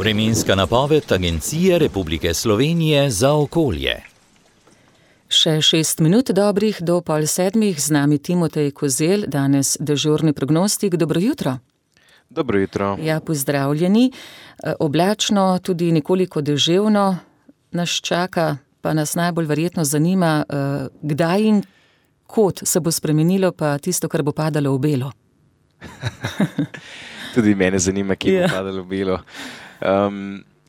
Vremenska napoved Agencije Republike Slovenije za okolje. Še 6 minut dobrih do 6:30, z nami Timotej Kozelj, danes dežurni prognostik. Dobro jutro. Dobro jutro. Ja, pozdravljeni. Oblačno, tudi nekoliko deževno nas čaka, pa nas najbolj verjetno zanima, kdaj in kod se bo spremenilo pa tisto, kar bo padalo v belo. Tudi mene zanima, kje bo padalo v belo.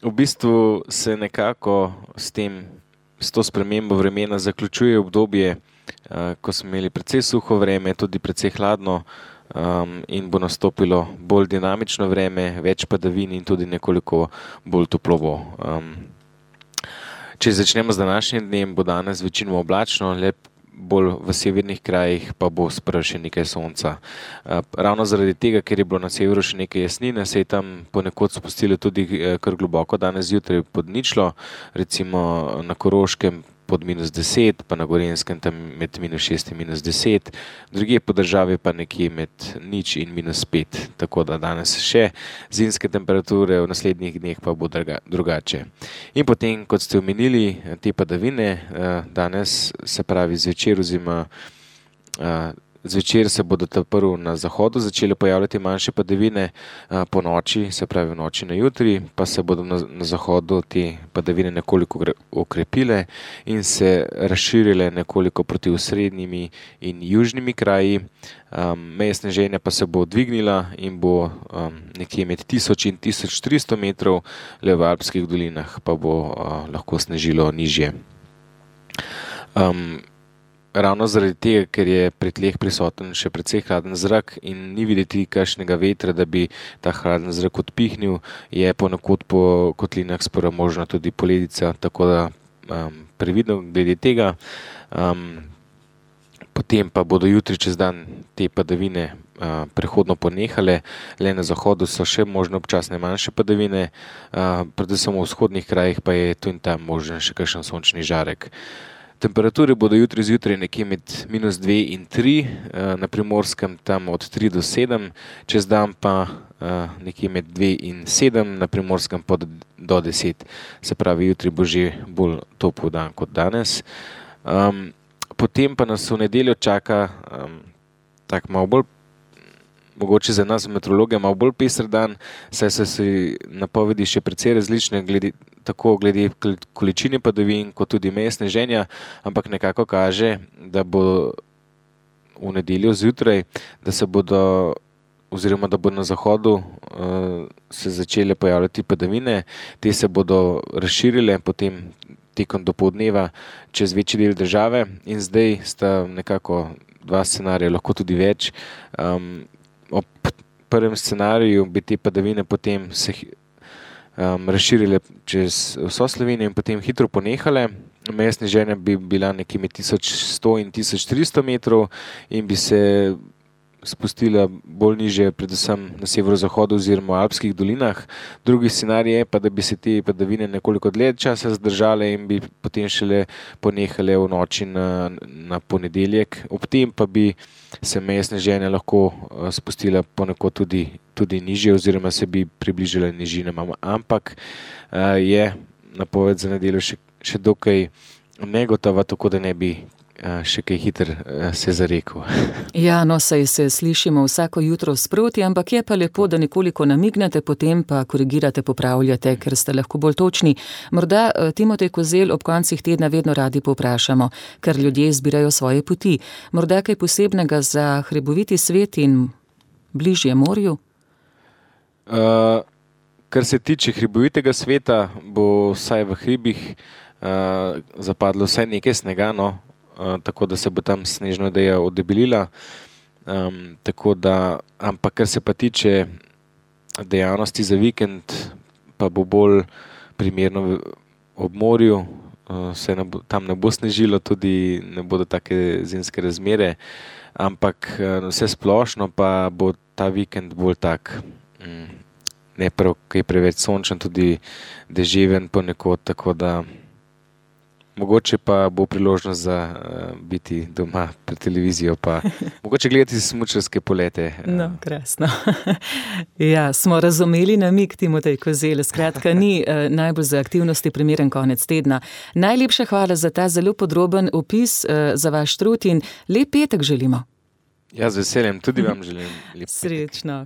V bistvu se nekako s to spremembo vremena zaključuje obdobje, ko smo imeli precej suho vreme, tudi precej hladno, in bo nastopilo bolj dinamično vreme, več padavin in tudi nekoliko bolj toplovo. Če začnemo z današnjim dnem, bo danes večinoma oblačno, bolj v severnih krajih pa bo sprva še nekaj sonca. Ravno zaradi tega, ker je bilo na severu še nekaj jasnine, se je tam ponekod spustilo tudi kar globoko danes zjutraj pod ničlo, recimo na Koroškem pod -10, pa na Gorenjskem tam med -6 in -10, drugje po državi pa nekje med 0 in -5, tako da danes še zimske temperature, v naslednjih dneh pa bo drugače. In potem, kot ste omenili, te padavine, danes se pravi zvečer oziroma zvečer se bodo prvo na zahodu začele pojavljati manjše padavine, po noči, se pravi v noči na jutri, pa se bodo na zahodu te padavine nekoliko okrepile in se razširile nekoliko proti osrednjimi in južnimi kraji. Meja sneženja pa se bo dvignila in bo nekje med 1000 in 1300 metrov, le v alpskih dolinah pa bo lahko snežilo nižje. Ravno zaradi tega, ker je pri tleh prisoten še precej hladen zrak in ni videti kakšnega vetra, da bi ta hladen zrak odpihnil, je ponekod po kotlinah sprva možna tudi poledica, tako da previdno glede tega. Potem pa bodo jutri čez dan te padavine prehodno ponehale, le na zahodu so še možne občasne manjše padavine, predvsem v vzhodnih krajih pa je tu in tam možen še kakšen sončni žarek. Temperature bodo jutri zjutraj nekje med -2 in 3, na Primorskem tam od 3 do 7, čez dan pa nekje med 2 in 7, na Primorskem pa do 10. Se pravi, jutri bo že bolj topel dan kot danes. Potem pa nas v nedeljo čaka tak malo bolj, mogoče za nas meteorologe, malo bolj pester dan, saj so si napovedi še precej različne, tako glede količine padavin, kot tudi meje sneženja, ampak nekako kaže, da bo v nedeljo zjutraj, da bo na zahodu se začele pojavljati padavine, te se bodo razširile potem tekom dopoldneva čez večji del države in zdaj sta nekako dva scenarija, lahko tudi več. Ob prvem scenariju bi te padavine potem se razširile čez vso Slovenijo in potem hitro ponehale. Meja sneženja bi bila nekje med 1100 in 1300 metrov in bi se spustila bolj nižje, predvsem na severozahodu oziroma v alpskih dolinah. Drugi scenarij je pa, da bi se te padavine nekoliko dlje časa zdržale in bi potem šele ponehale v noči na ponedeljek. Ob tem pa bi se meja sneženja lahko spustila ponekod tudi nižje oziroma se bi približala nižinam, ampak je napoved za nedeljo še dokaj negotova, tako da ne bi še kaj hitro se zarekel. Ja, no, saj se slišimo vsako jutro sproti, ampak je pa lepo, da nekoliko namignete, potem pa korigirate, popravljate, ker ste lahko bolj točni. Morda, Timotej Kozelj, ob koncih tedna vedno radi povprašamo, ker ljudje izbirajo svoje poti. Morda kaj posebnega za hriboviti svet in bližje morju? Kar se tiče hribovitega sveta, bo vsaj v hribih zapadlo vsaj nekaj snega, no, tako da se bo tam snežna odeja odebelila, ampak kar se pa tiče dejavnosti za vikend, pa bo bolj primerno ob morju, tam ne bo snežilo, tudi ne bodo take zimske razmere, ampak vse splošno pa bo ta vikend bolj tak, ne prav kaj preveč sončen, tudi deževen ponekod, tako da mogoče pa bo priložnost za biti doma pred televizijo, pa mogoče gledati smučarske polete. No, krasno. Ja, smo razumeli namig, Timotej Kozelj. Skratka, ni najbolj za aktivnosti primeren konec tedna. Najlepša hvala za ta zelo podroben opis, za vaš trud in lep petek želimo. Ja, z veseljem, tudi vam želim lep petek. Srečno.